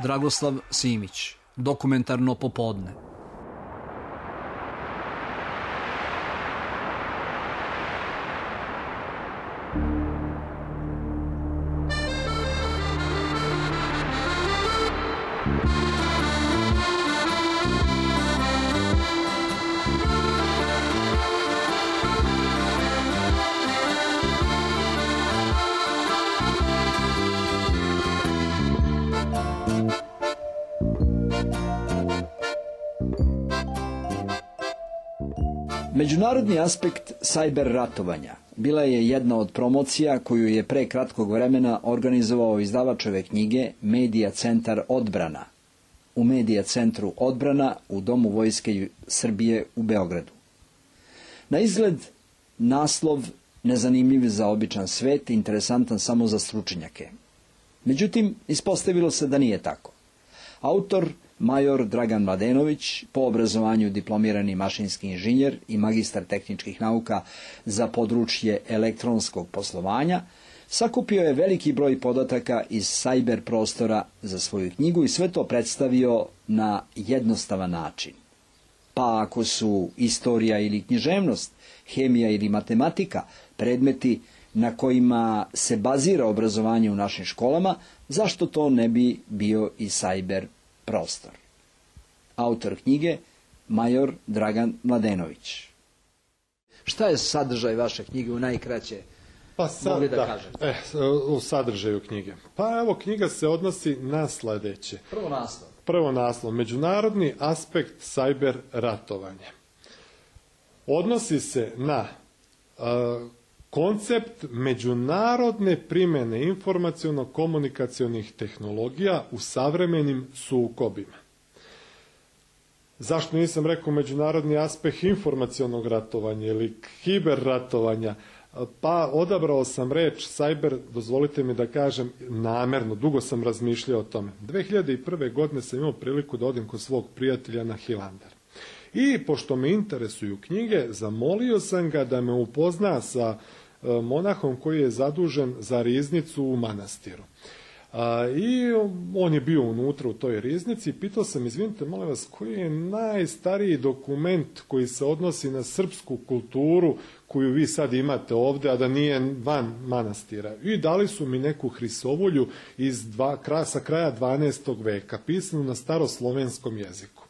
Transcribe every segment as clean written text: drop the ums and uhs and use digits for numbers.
Dragoslav Simić, Dokumentarno popodne. Međunarodni aspekt sajber ratovanja bila je jedna od promocija koju je pre kratkog vremena organizovao izdavač ove knjige Medija centar Odbrana u Medija centru Odbrana u Domu Vojske Srbije u Beogradu. Na izgled naslov nezanimljiv za običan svet, interesantan samo za stručnjake. Međutim, ispostavilo se da nije tako. Autor major Dragan Mladenović, po obrazovanju diplomirani mašinski inženjer i magistar tehničkih nauka za područje elektronskog poslovanja, sakupio je veliki broj podataka iz sajber prostora za svoju knjigu i sve to predstavio na jednostavan način. Pa ako su istorija ili književnost, hemija ili matematika predmeti na kojima se bazira obrazovanje u našim školama, zašto to ne bi bio i sajber prostor? Autor knjige major Dragan Mladenović. Šta je sadržaj vaše knjige u najkraće? Mogli da kažete? U sadržaju knjige. Pa evo, knjiga se odnosi na sledeće. Prvo naslov. Međunarodni aspekt sajber ratovanja. Odnosi se na koncept međunarodne primjene informaciono-komunikacionih tehnologija u savremenim sukobima. Zašto nisam rekao međunarodni aspekt informacionog ratovanja ili hiber ratovanja? Pa odabrao sam reč sajber, dozvolite mi da kažem, namerno, dugo sam razmišljao o tome. 2001. godine sam imao priliku da odim kod svog prijatelja na Hilandar. I pošto me interesuju knjige, zamolio sam ga da me upozna sa monahom koji je zadužen za riznicu u manastiru. I on je bio unutra u toj riznici i pitao sam, izvinite, molim vas, koji je najstariji dokument koji se odnosi na srpsku kulturu koju vi sad imate ovde, a da nije van manastira? I dali su mi neku hrisovulju sa kraja 12. veka, pisanu na staroslovenskom jeziku.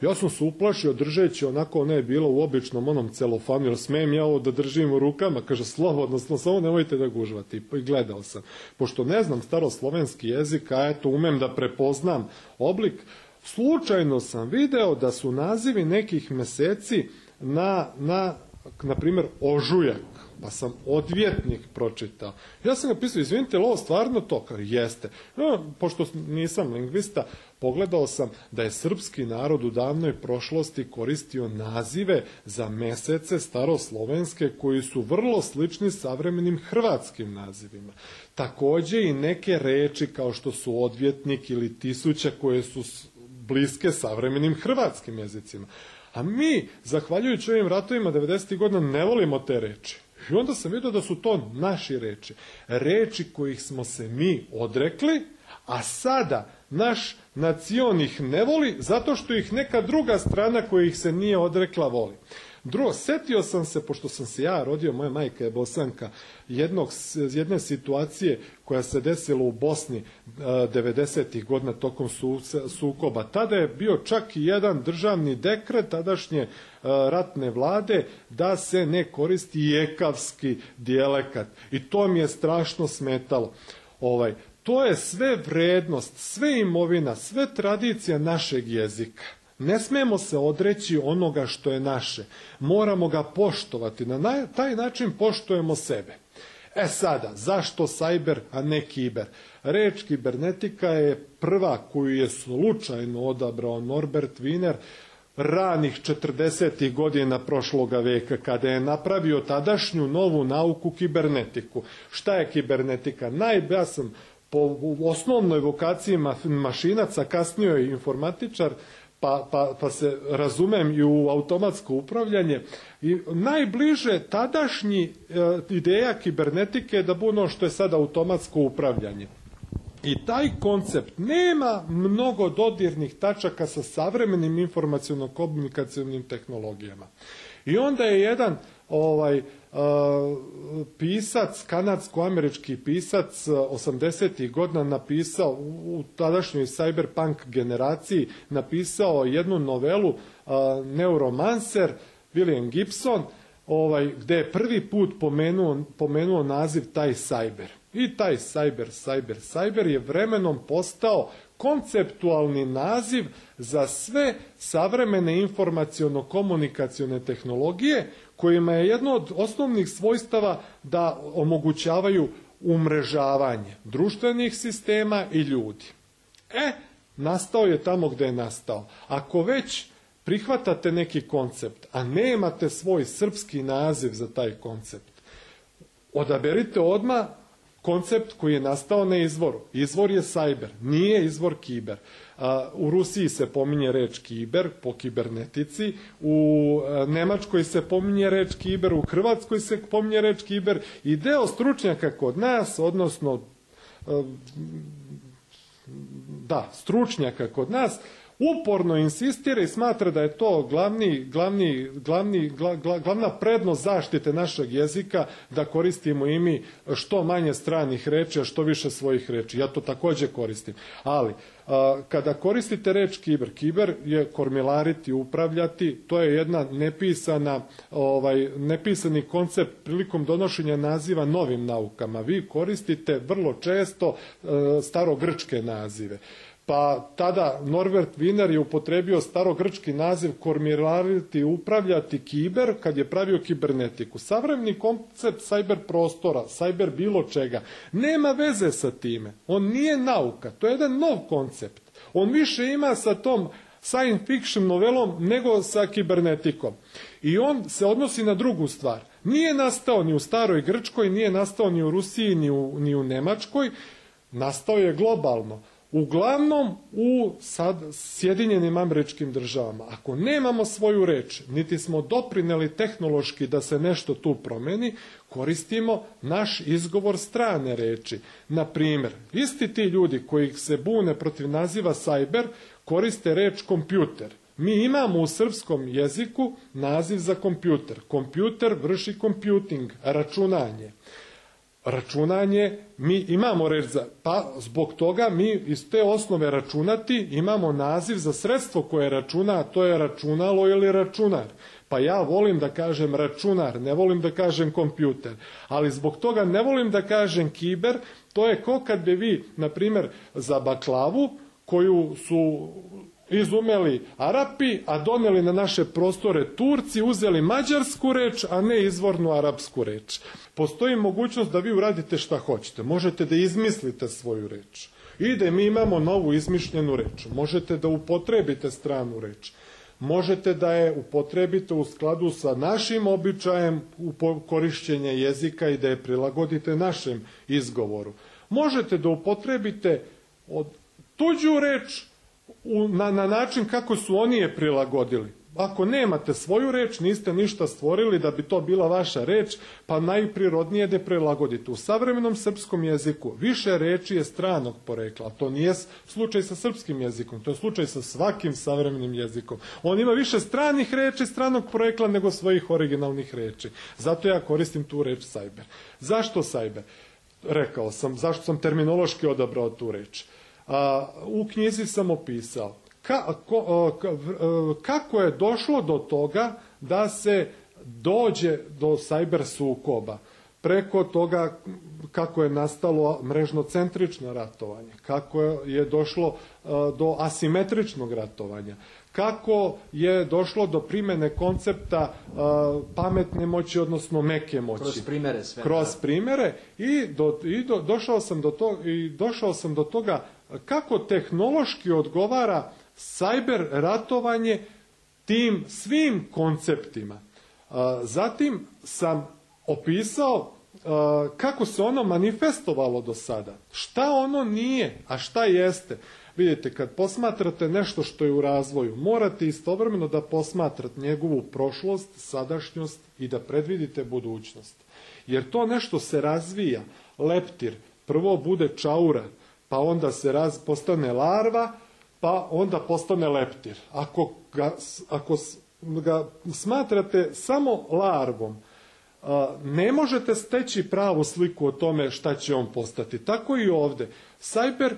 Ja sam se uplašio držeći, onako ona je bila u običnom onom celofanu, jer smijem ja ovo da držim u rukama, kaže slobodno, samo nemojte da gužvate. I gledao sam. Pošto ne znam staroslovenski jezik, a eto umem da prepoznam oblik, slučajno sam video da su nazivi nekih meseci na primjer, ožujak, pa sam odvjetnik pročitao. Ja sam napisao, izvinite, ovo stvarno to? Jeste. Pošto nisam lingvista, pogledao sam da je srpski narod u davnoj prošlosti koristio nazive za mesece staroslovenske koji su vrlo slični savremenim hrvatskim nazivima. Takođe i neke reči kao što su odvjetnik ili tisuća koje su bliske savremenim hrvatskim jezicima. A mi, zahvaljujući ovim ratovima 90. godina, ne volimo te reči. I onda sam vidio da su to naši reči. Reči kojih smo se mi odrekli, a sada naš nacion ih ne voli zato što ih neka druga strana koja ih se nije odrekla voli. Drugo, setio sam se, pošto sam se ja rodio, moja majka je Bosanka, jedne situacije koja se desila u Bosni 90. godina tokom sukoba. Tada je bio čak i jedan državni dekret tadašnje ratne vlade da se ne koristi jekavski dijalekat. I to mi je strašno smetalo. To je sve vrednost, sve imovina, sve tradicija našeg jezika. Ne smemo se odreći onoga što je naše. Moramo ga poštovati. Na taj način poštujemo sebe. Sada, zašto sajber, a ne kiber? Reč kibernetika je prva koju je slučajno odabrao Norbert Wiener ranih 40. godina prošloga veka, kada je napravio tadašnju novu nauku kibernetiku. Šta je kibernetika? Ja sam po osnovnoj vokaciji mašinaca, kasnije informatičar, pa se razumem i u automatsko upravljanje. I najbliže tadašnji ideja kibernetike je da bude ono što je sada automatsko upravljanje. I taj koncept nema mnogo dodirnih tačaka sa savremenim informaciono-komunikacionim tehnologijama. I onda je jedan pisac, kanadsko-američki pisac 80. godina napisao u tadašnjoj cyberpunk generaciji, napisao jednu novelu Neuromancer, William Gibson, gde je prvi put pomenuo naziv taj cyber. I taj cyber je vremenom postao konceptualni naziv za sve savremene informaciono-komunikacione tehnologije, kojima je jedno od osnovnih svojstava da omogućavaju umrežavanje društvenih sistema i ljudi. Nastao je tamo gde je nastao. Ako već prihvatate neki koncept, a nemate svoj srpski naziv za taj koncept, odaberite odmah koncept koji je nastao na izvoru. Izvor je cyber, nije izvor kiber. U Rusiji se pominje reč kiber po kibernetici, u Nemačkoj se pominje reč kiber, u Hrvatskoj se pominje reč kiber i deo stručnjaka kod nas, odnosno stručnjaka kod nas, uporno insistira i smatra da je to glavna prednost zaštite našeg jezika, da koristimo i mi što manje stranih reči, a što više svojih reči. Ja to također koristim. Ali, kada koristite reč kiber je kormilariti, upravljati, to je jedna nepisani koncept prilikom donošenja naziva novim naukama. Vi koristite vrlo često starogrčke nazive. Pa tada Norbert Wiener je upotrebio starogrčki naziv kormilariti, upravljati kiber kad je pravio kibernetiku. Savremeni koncept cyber prostora, cyber bilo čega, nema veze sa time. On nije nauka, to je jedan nov koncept. On više ima sa tom science fiction novelom nego sa kibernetikom. I on se odnosi na drugu stvar. Nije nastao ni u staroj Grčkoj, nije nastao ni u Rusiji, ni u Nemačkoj. Nastao je globalno. Uglavnom u Sjedinjenim Američkim Državama. Ako nemamo svoju reč, niti smo doprineli tehnološki da se nešto tu promeni, koristimo naš izgovor strane reči. Na primjer, isti ti ljudi koji se bune protiv naziva cyber koriste reč kompjuter. Mi imamo u srpskom jeziku naziv za kompjuter. Kompjuter vrši computing, računanje. Računanje, mi imamo reč pa zbog toga mi iz te osnove računati imamo naziv za sredstvo koje računa, a to je računalo ili računar. Pa ja volim da kažem računar, ne volim da kažem kompjuter. Ali zbog toga ne volim da kažem kiber, to je kao kad bi vi, na primjer, za baklavu, koju su izumeli Arapi, a doneli na naše prostore Turci, uzeli mađarsku reč, a ne izvornu arapsku reč. Postoji mogućnost da vi uradite šta hoćete. Možete da izmislite svoju reč. I da mi imamo novu izmišljenu reč. Možete da upotrebite stranu reč. Možete da je upotrebite u skladu sa našim običajem korišćenja jezika i da je prilagodite našem izgovoru. Možete da upotrebite tuđu reč na način kako su oni je prilagodili. Ako nemate svoju reč, niste ništa stvorili da bi to bila vaša reč, pa najprirodnije da je prilagodite. U savremenom srpskom jeziku više reči je stranog porekla. To nije slučaj sa srpskim jezikom, to je slučaj sa svakim savremenim jezikom. On ima više stranih reči stranog porekla nego svojih originalnih reči. Zato ja koristim tu reč cyber. Zašto cyber? Rekao sam, zašto sam terminološki odabrao tu reč. U knjizi sam opisao kako je došlo do toga da se dođe do cyber sukoba. Preko toga kako je nastalo mrežno-centrično ratovanje, kako je došlo do asimetričnog ratovanja, kako je došlo do primjene koncepta pametne moći, odnosno meke moći. Kroz primere sve. Kroz primere i došao sam do toga kako tehnološki odgovara cyber ratovanje tim svim konceptima. Zatim sam opisao kako se ono manifestovalo do sada. Šta ono nije, a šta jeste. Vidite, kad posmatrate nešto što je u razvoju, morate istovremeno da posmatrate njegovu prošlost, sadašnjost i da predvidite budućnost. Jer to nešto se razvija, leptir, prvo bude čaura, pa onda se postane larva, pa onda postane leptir. Ako ga smatrate samo larvom, ne možete steći pravu sliku o tome šta će on postati. Tako i ovdje. Sajber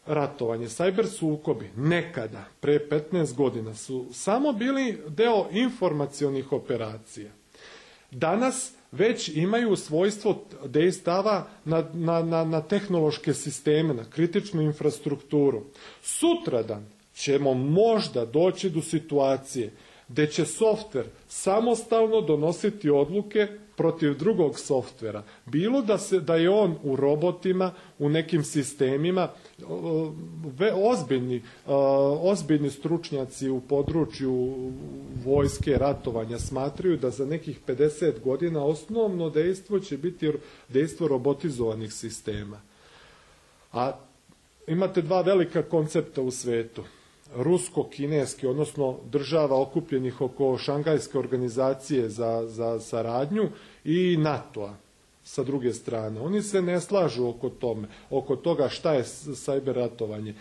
ratovanje, sajber sukobi nekada, pre 15 godina, su samo bili deo informacionih operacija. Danas već imaju svojstvo dejstava na tehnološke sisteme, na kritičnu infrastrukturu. Sutradan ćemo možda doći do situacije gde će softver samostalno donositi odluke protiv drugog softvera. Bilo da je on u robotima, u nekim sistemima, ozbiljni stručnjaci u području vojske, ratovanja smatraju da za nekih 50 godina osnovno dejstvo će biti dejstvo robotizovanih sistema. A imate dva velika koncepta u svetu. Rusko-kineski, odnosno država okupljenih oko Šangajske organizacije za saradnju i NATO-a sa druge strane. Oni se ne slažu oko toga šta je sajber ratovanje.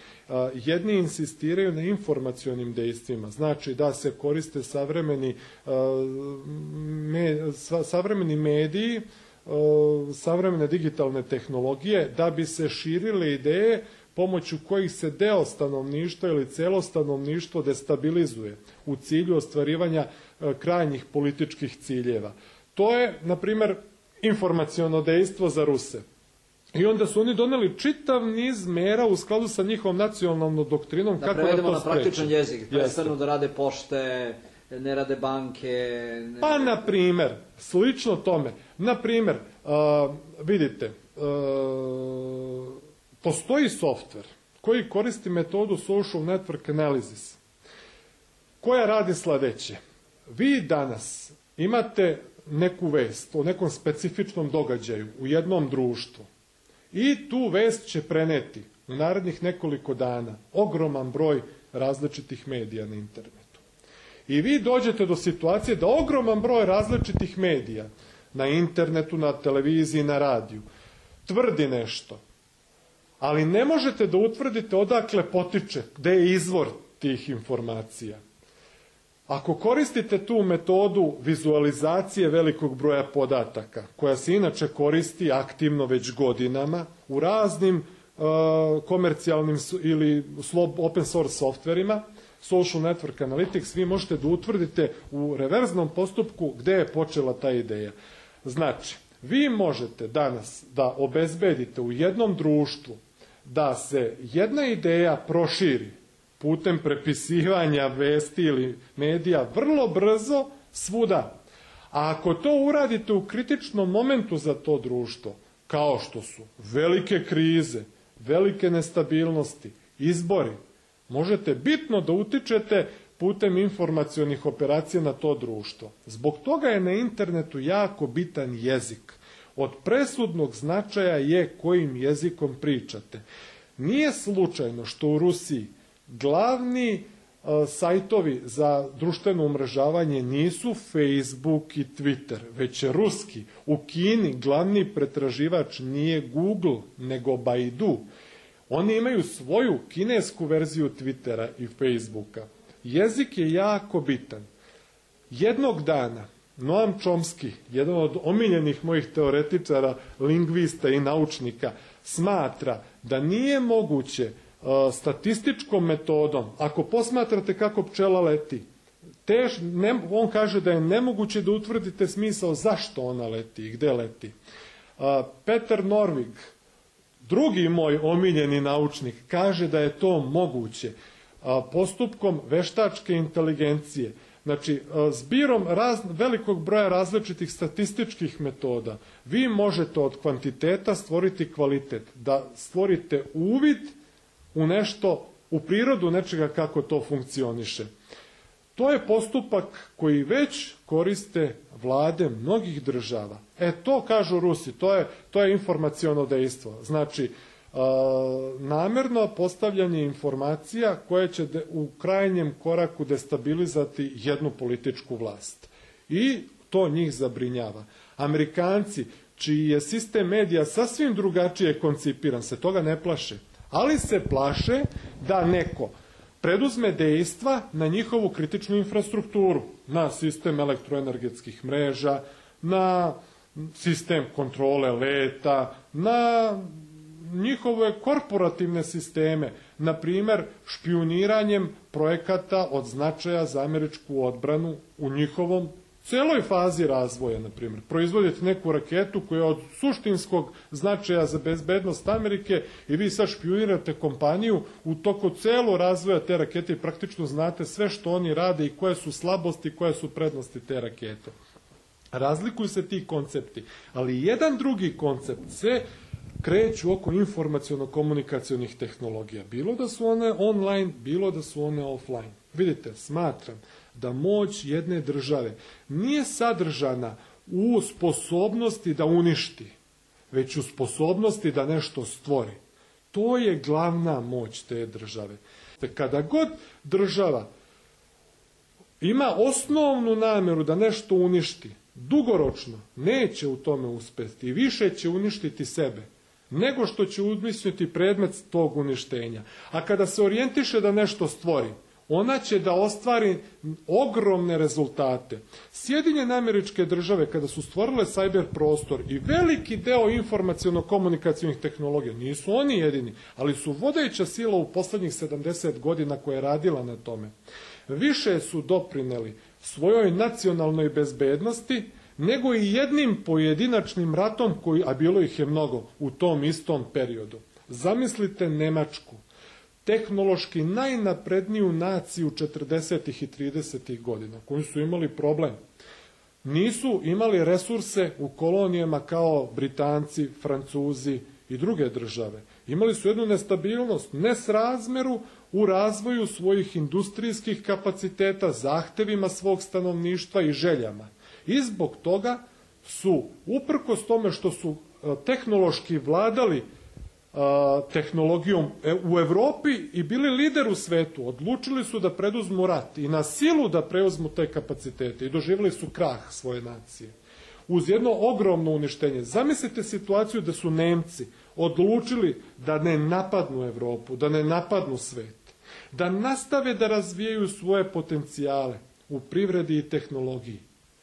Jedni insistiraju na informacionim dejstvima, znači da se koriste savremeni mediji, savremene digitalne tehnologije da bi se širile ideje pomoću kojih se deo stanovništva ili celo stanovništvo destabilizuje u cilju ostvarivanja krajnjih političkih ciljeva. To je, na primjer, informaciono dejstvo za Ruse. I onda su oni doneli čitav niz mera u skladu sa njihovom nacionalnom doktrinom kako da to spreče. Da prevedemo na praktičan jezik, prestanu da rade pošte, ne rade banke. Pa, na primjer, slično tome. Na primjer, vidite, postoji softver koji koristi metodu social network analysis, koja radi sledeće. Vi danas imate neku vest o nekom specifičnom događaju u jednom društvu i tu vest će preneti u narednih nekoliko dana ogroman broj različitih medija na internetu. I vi dođete do situacije da ogroman broj različitih medija na internetu, na televiziji, na radiju tvrdi nešto, ali ne možete da utvrdite odakle potiče, gde je izvor tih informacija. Ako koristite tu metodu vizualizacije velikog broja podataka, koja se inače koristi aktivno već godinama u raznim komercijalnim ili open source softverima, social network analytics, vi možete da utvrdite u reverznom postupku gde je počela ta ideja. Znači, vi možete danas da obezbedite u jednom društvu da se jedna ideja proširi putem prepisivanja vesti ili medija vrlo brzo svuda. A ako to uradite u kritičnom momentu za to društvo, kao što su velike krize, velike nestabilnosti, izbori, možete bitno da utičete putem informacionih operacija na to društvo. Zbog toga je na internetu jako bitan jezik. Od presudnog značaja je kojim jezikom pričate. Nije slučajno što u Rusiji glavni sajtovi za društveno umrežavanje nisu Facebook i Twitter, već je ruski. U Kini glavni pretraživač nije Google, nego Baidu. Oni imaju svoju kinesku verziju Twittera i Facebooka. Jezik je jako bitan. Jednog dana Noam Chomsky, jedan od omiljenih mojih teoretičara, lingvista i naučnika, smatra da nije moguće statističkom metodom, ako posmatrate kako pčela leti, on kaže da je nemoguće da utvrdite smisao zašto ona leti i gde leti. Peter Norvig, drugi moj omiljeni naučnik, kaže da je to moguće postupkom veštačke inteligencije. Znači, zbirom velikog broja različitih statističkih metoda, vi možete od kvantiteta stvoriti kvalitet, da stvorite uvid u nešto, u prirodu nečega kako to funkcioniše. To je postupak koji već koriste vlade mnogih država. To kažu Rusi, to je informaciono dejstvo. Znači, namerno postavljanje informacija koje će u krajnjem koraku destabilizati jednu političku vlast. I to njih zabrinjava. Amerikanci, čiji je sistem medija sasvim drugačije koncipiran, se toga ne plaše. ali se plaše da neko preduzme dejstva na njihovu kritičnu infrastrukturu, na sistem elektroenergetskih mreža, na sistem kontrole leta, na njihove korporativne sisteme, na primer špijuniranjem projekata od značaja za američku odbranu u njihovom celoj fazi razvoja, na primjer. Proizvodite neku raketu koja je od suštinskog značaja za bezbednost Amerike i vi sad špijunirate kompaniju u toku celo razvoja te rakete i praktično znate sve što oni rade i koje su slabosti, koje su prednosti te rakete. Razlikuju se ti koncepti, ali jedan drugi koncept se kreću oko informaciono-komunikacionih tehnologija. Bilo da su one online, bilo da su one offline. Vidite, smatram da moć jedne države nije sadržana u sposobnosti da uništi, već u sposobnosti da nešto stvori. To je glavna moć te države. Kada god država ima osnovnu nameru da nešto uništi, dugoročno neće u tome uspeti i više će uništiti sebe nego što će uništiti predmet tog uništenja. A kada se orijentiše da nešto stvori, ona će da ostvari ogromne rezultate. Sjedinjene Američke Države, kada su stvorile cyber prostor i veliki deo informaciono-komunikacionih tehnologija, nisu oni jedini, ali su vodeća sila u poslednjih 70 godina koja je radila na tome. Više su doprineli svojoj nacionalnoj bezbednosti nego i jednim pojedinačnim ratom, a bilo ih je mnogo u tom istom periodu. Zamislite Nemačku, tehnološki najnapredniju naciju 40. i 30. godina, koji su imali problem. Nisu imali resurse u kolonijama kao Britanci, Francuzi i druge države. Imali su jednu nestabilnost, nesrazmeru u razvoju svojih industrijskih kapaciteta, zahtevima svog stanovništva i željama. I zbog toga su, uprkos tome što su tehnološki vladali tehnologijom u Evropi i bili lider u svetu, odlučili su da preduzmu rat i na silu da preuzmu te kapacitete i doživjeli su krah svoje nacije. Uz jedno ogromno uništenje. Zamislite situaciju da su Nemci odlučili da ne napadnu Evropu, da ne napadnu svet, da nastave da razvijaju svoje potencijale u privredi i tehnologiji.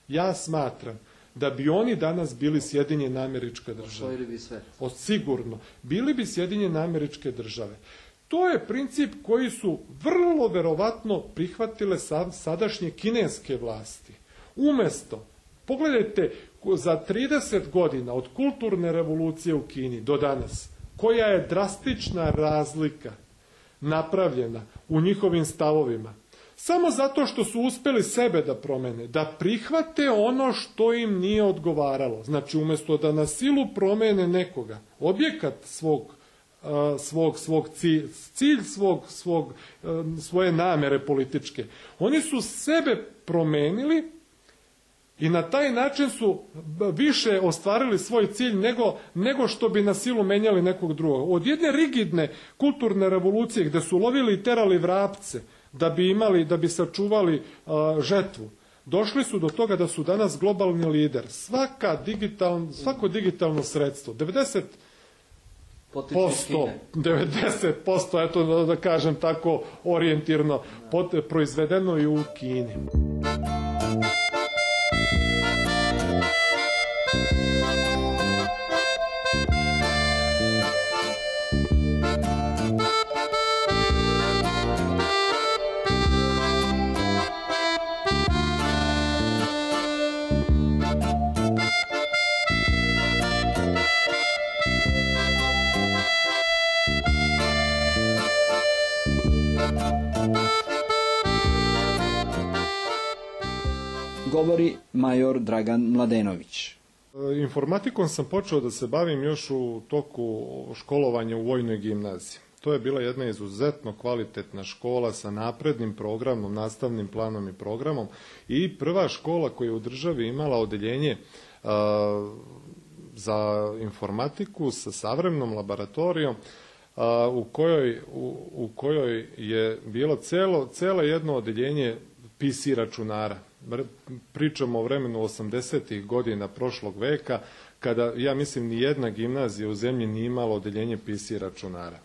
Ja smatram da bi oni danas bili Sjedinjene Američke Države. Osvojili bi sve. Sigurno. Bili bi Sjedinjene Američke Države. To je princip koji su vrlo verovatno prihvatile sadašnje kineske vlasti. Umesto, pogledajte, za 30 godina od kulturne revolucije u Kini do danas, koja je drastična razlika napravljena u njihovim stavovima, samo zato što su uspeli sebe da promene, da prihvate ono što im nije odgovaralo. Znači, umjesto da na silu promene nekoga, objekat cilj svoje namere političke, oni su sebe promenili i na taj način su više ostvarili svoj cilj nego što bi na silu menjali nekog drugog. Od jedne rigidne kulturne revolucije gde su lovili i terali vrapce da bi sačuvali žetvu, došli su do toga da su danas globalni lider. Svako digitalno sredstvo, 90%, eto da kažem tako orijentirno, proizvedeno je u Kini. Govori major Dragan Mladenović. Informatikom sam počeo da se bavim još u toku školovanja u vojnoj gimnaziji. To je bila jedna izuzetno kvalitetna škola sa naprednim programom, nastavnim planom i programom i prva škola koja je u državi imala odeljenje za informatiku sa savremenom laboratorijom u kojoj je bilo celo jedno odeljenje PC računara. Pričamo o vremenu 80. godina prošlog veka, kada, ja mislim, ni jedna gimnazija u zemlji nije imala odeljenje PC računara.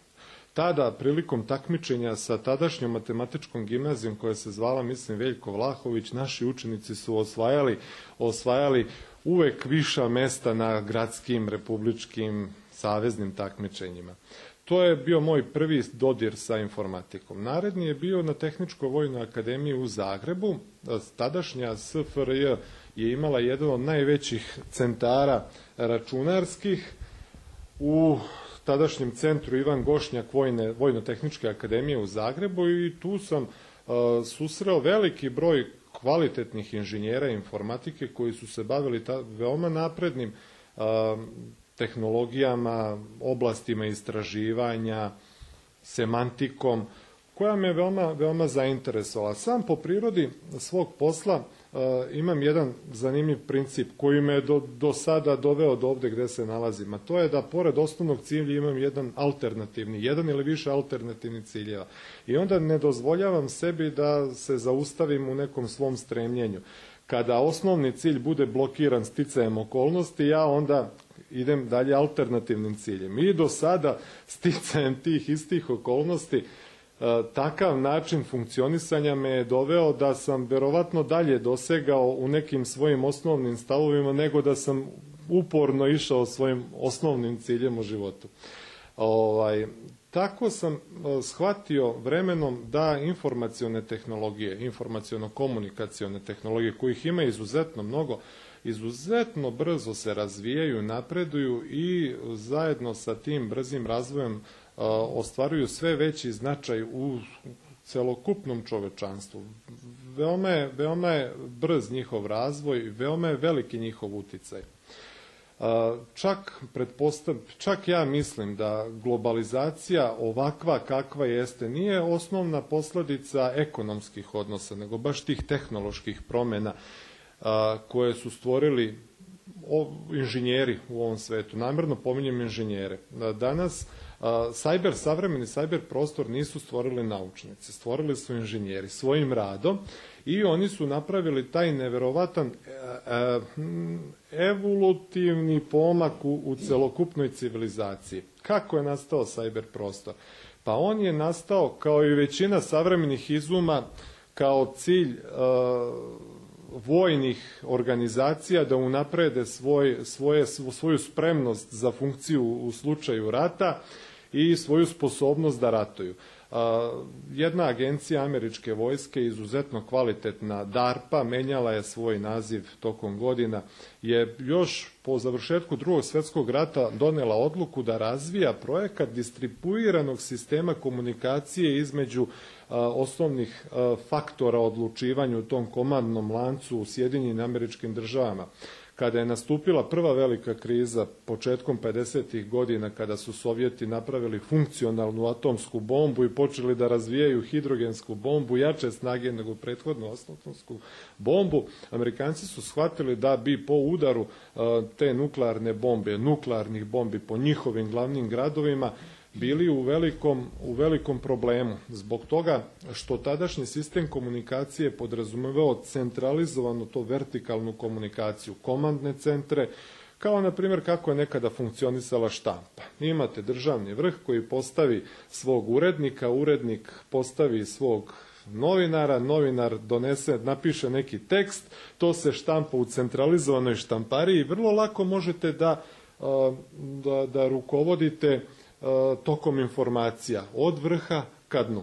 tada prilikom takmičenja sa tadašnjom matematičkom gimnazijom koja se zvala, mislim, Veljko Vlahović, naši učenici su osvajali uvek viša mesta na gradskim, republičkim, saveznim takmičenjima. To je bio moj prvi dodir sa informatikom. Naredni je bio na Tehničkoj vojnoj akademiji u Zagrebu. Tadašnja SFRJ je imala jedan od najvećih centara računarskih u tadašnjem centru Ivan Gošnjak Vojno-tehničke akademije u Zagrebu i tu sam susreo veliki broj kvalitetnih inženjera informatike koji su se bavili veoma naprednim tehnologijama, oblastima istraživanja, semantikom, koja me veoma zainteresovala. Sam po prirodi svog posla imam jedan zanimljiv princip koji me do sada doveo do ovde gde se nalazim, a to je da pored osnovnog cilja imam jedan ili više alternativnih ciljeva. I onda ne dozvoljavam sebi da se zaustavim u nekom svom stremljenju. Kada osnovni cilj bude blokiran sticajem okolnosti, ja onda idem dalje alternativnim ciljem. I do sada sticajem tih istih okolnosti takav način funkcionisanja me je doveo da sam verovatno dalje dosegao u nekim svojim osnovnim stavovima nego da sam uporno išao svojim osnovnim ciljem u životu. Tako sam shvatio vremenom da informacione tehnologije, informaciono-komunikacione tehnologije, kojih ima izuzetno mnogo, izuzetno brzo se razvijaju, napreduju i zajedno sa tim brzim razvojem ostvaruju sve značaj u celokupnom čovečanstvu. Veoma je brz njihov razvoj, veoma je veliki njihov uticaj. Čak ja mislim da globalizacija ovakva kakva jeste nije osnovna posledica ekonomskih odnosa, nego baš tih tehnoloških promjena koje su stvorili inženjeri u ovom svetu. Namjerno pominjem inženjere. Danas savremeni cyber prostor nisu stvorili naučnici, stvorili su inženjeri svojim radom i oni su napravili taj neverovatan evolutivni pomak u celokupnoj civilizaciji. Kako je nastao cyber prostor? Pa on je nastao, kao i većina savremenih izuma, kao cilj vojnih organizacija da unaprede svoju spremnost za funkciju u slučaju rata i svoju sposobnost da ratuju. Jedna agencija američke vojske, izuzetno kvalitetna, DARPA, menjala je svoj naziv tokom godina, je još po završetku Drugog svjetskog rata donela odluku da razvija projekat distribuiranog sistema komunikacije između osnovnih faktora odlučivanja u tom komandnom lancu u Sjedinjenim Američkim Državama. Kada je nastupila prva velika kriza početkom 50. godina, kada su Sovjeti napravili funkcionalnu atomsku bombu i počeli da razvijaju hidrogensku bombu, jače snage nego prethodnu atomsku bombu, Amerikanci su shvatili da bi po udaru te nuklearne bombe, nuklearnih bombi po njihovim glavnim gradovima, bili u velikom problemu. Zbog toga što tadašnji sistem komunikacije podrazumevao centralizovanu to vertikalnu komunikaciju, komandne centre, kao na primjer kako je nekada funkcionisala štampa. Imate državni vrh koji postavi svog urednika, urednik postavi svog novinara, novinar napiše neki tekst, to se štampa u centralizovanoj štampariji i vrlo lako možete da rukovodite tokom informacija od vrha ka dnu.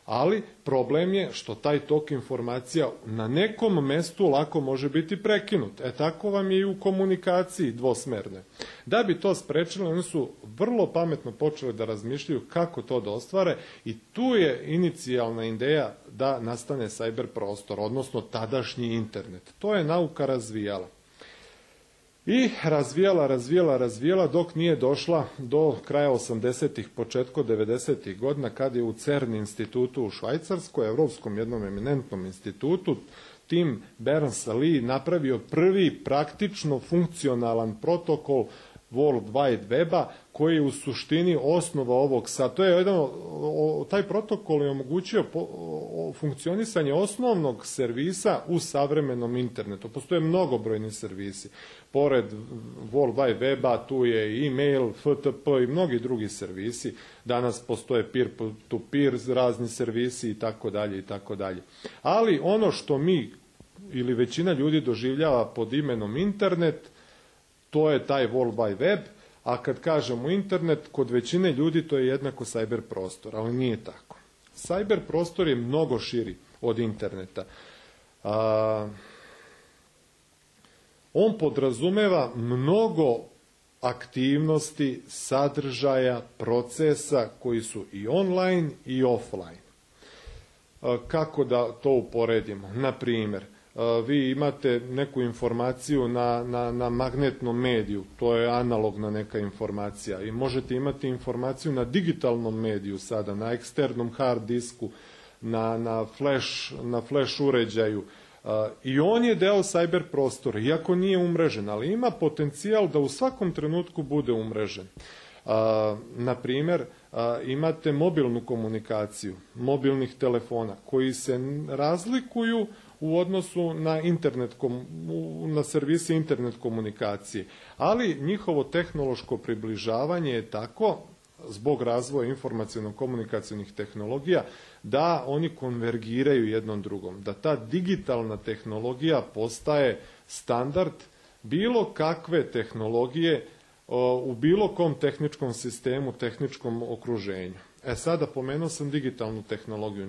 Ali problem je što taj tok informacija na nekom mestu lako može biti prekinut. Tako vam je i u komunikaciji dvosmerne. Da bi to sprečili, oni su vrlo pametno počeli da razmišljaju kako to da ostvare i tu je inicijalna ideja da nastane cyber prostor, odnosno tadašnji internet. To je nauka razvijala. I razvijala dok nije došla do kraja 80-ih, početkom 90-ih godina, kad je u CERN institutu u Švajcarskoj, evropskom jednom eminentnom institutu, Tim Berners-Lee napravio prvi praktično funkcionalan protokol World Wide Weba, koji je u suštini osnova ovog sad. To je jedan, taj protokol je omogućio funkcionisanje osnovnog servisa u savremenom internetu. Postoje mnogobrojni servisi. Pored World Wide Weba tu je e-mail, FTP i mnogi drugi servisi. Danas postoje peer-to-peer razni servisi i tako dalje i tako dalje. Ali ono što mi ili većina ljudi doživljava pod imenom internet, to je taj World Wide Web, a kad kažemo internet, kod većine ljudi to je jednako cyber prostor, ali nije tako. Cyber prostor je mnogo širi od interneta. On podrazumeva mnogo aktivnosti, sadržaja, procesa koji su i online i offline. Kako da to uporedimo? Na primjer, vi imate neku informaciju na magnetnom mediju, to je analogna neka informacija, i možete imati informaciju na digitalnom mediju sada, na eksternom hard disku, na flash uređaju, i on je deo cyber prostora, iako nije umrežen, ali ima potencijal da u svakom trenutku bude umrežen. Na primjer, imate mobilnu komunikaciju, mobilnih telefona, koji se razlikuju u odnosu na servise internet komunikacije. Ali njihovo tehnološko približavanje je tako, zbog razvoja informaciono-komunikacijnih tehnologija, da oni konvergiraju jednom drugom. Da ta digitalna tehnologija postaje standard bilo kakve tehnologije u bilo kom tehničkom sistemu, tehničkom okruženju. Sada pomenuo sam digitalnu tehnologiju.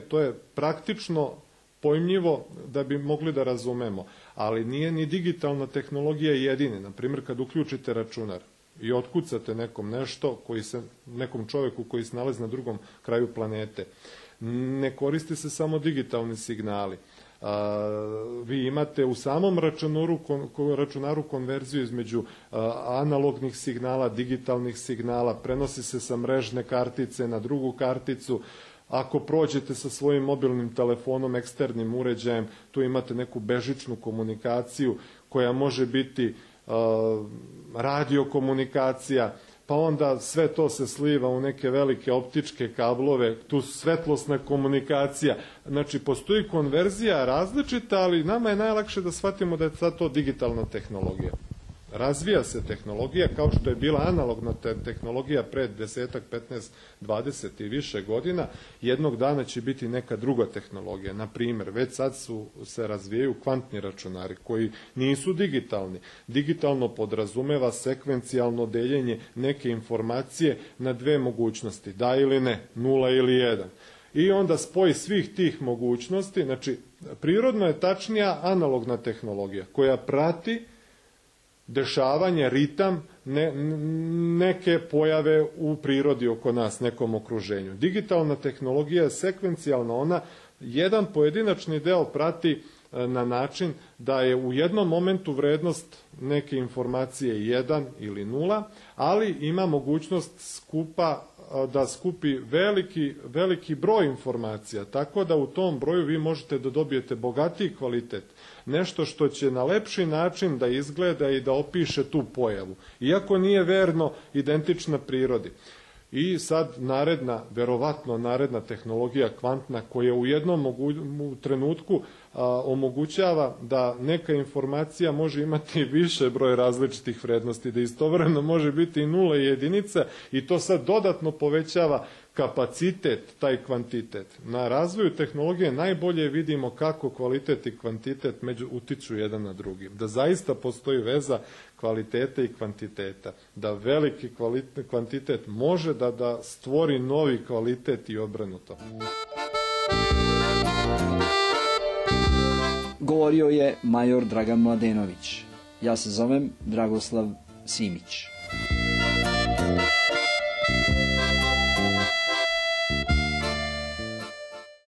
To je praktično pojmljivo da bi mogli da razumemo, ali nije ni digitalna tehnologija jedina. Na primjer, kad uključite računar i otkucate nekom nešto, nekom čovjeku koji se nalazi na drugom kraju planete, ne koriste se samo digitalni signali. Vi imate u samom računaru konverziju između analognih signala, digitalnih signala, prenosi se sa mrežne kartice na drugu karticu. Ako prođete sa svojim mobilnim telefonom, eksternim uređajem, tu imate neku bežičnu komunikaciju koja može biti radiokomunikacija, pa onda sve to se sliva u neke velike optičke kablove, tu svetlosna komunikacija. Znači, postoji konverzija različita, ali nama je najlakše da shvatimo da je sad to digitalna tehnologija. Razvija se tehnologija kao što je bila analogna tehnologija pre 10, 15, 20 i više godina. Jednog dana će biti neka druga tehnologija. Na primjer, već sad se razvijaju kvantni računari koji nisu digitalni. Digitalno podrazumeva sekvencijalno deljenje neke informacije na dve mogućnosti, da ili ne, 0 ili 1. I onda spoj svih tih mogućnosti, znači prirodno je tačnija analogna tehnologija koja prati dešavanje, ritam neke pojave u prirodi oko nas, nekom okruženju. Digitalna tehnologija je sekvencijalna, ona jedan pojedinačni deo prati na način da je u jednom momentu vrednost neke informacije 1 ili 0, ali ima mogućnost da skupi veliki broj informacija, tako da u tom broju vi možete da dobijete bogatiji kvalitet, nešto što će na lepši način da izgleda i da opiše tu pojavu, iako nije verno identična prirodi. I sad verovatno naredna tehnologija kvantna, koja u jednom trenutku omogućava da neka informacija može imati više broj različitih vrednosti, da istovremeno može biti i 0 i 1, i to sad dodatno povećava kapacitet, taj kvantitet. Na razvoju tehnologije najbolje vidimo kako kvalitet i kvantitet utiču jedan na drugi. Da zaista postoji veza kvaliteta i kvantiteta. Da veliki kvantitet može da stvori novi kvalitet i obrnuto. Govorio je major Dragan Mladenović. Ja se zovem Dragoslav Simić.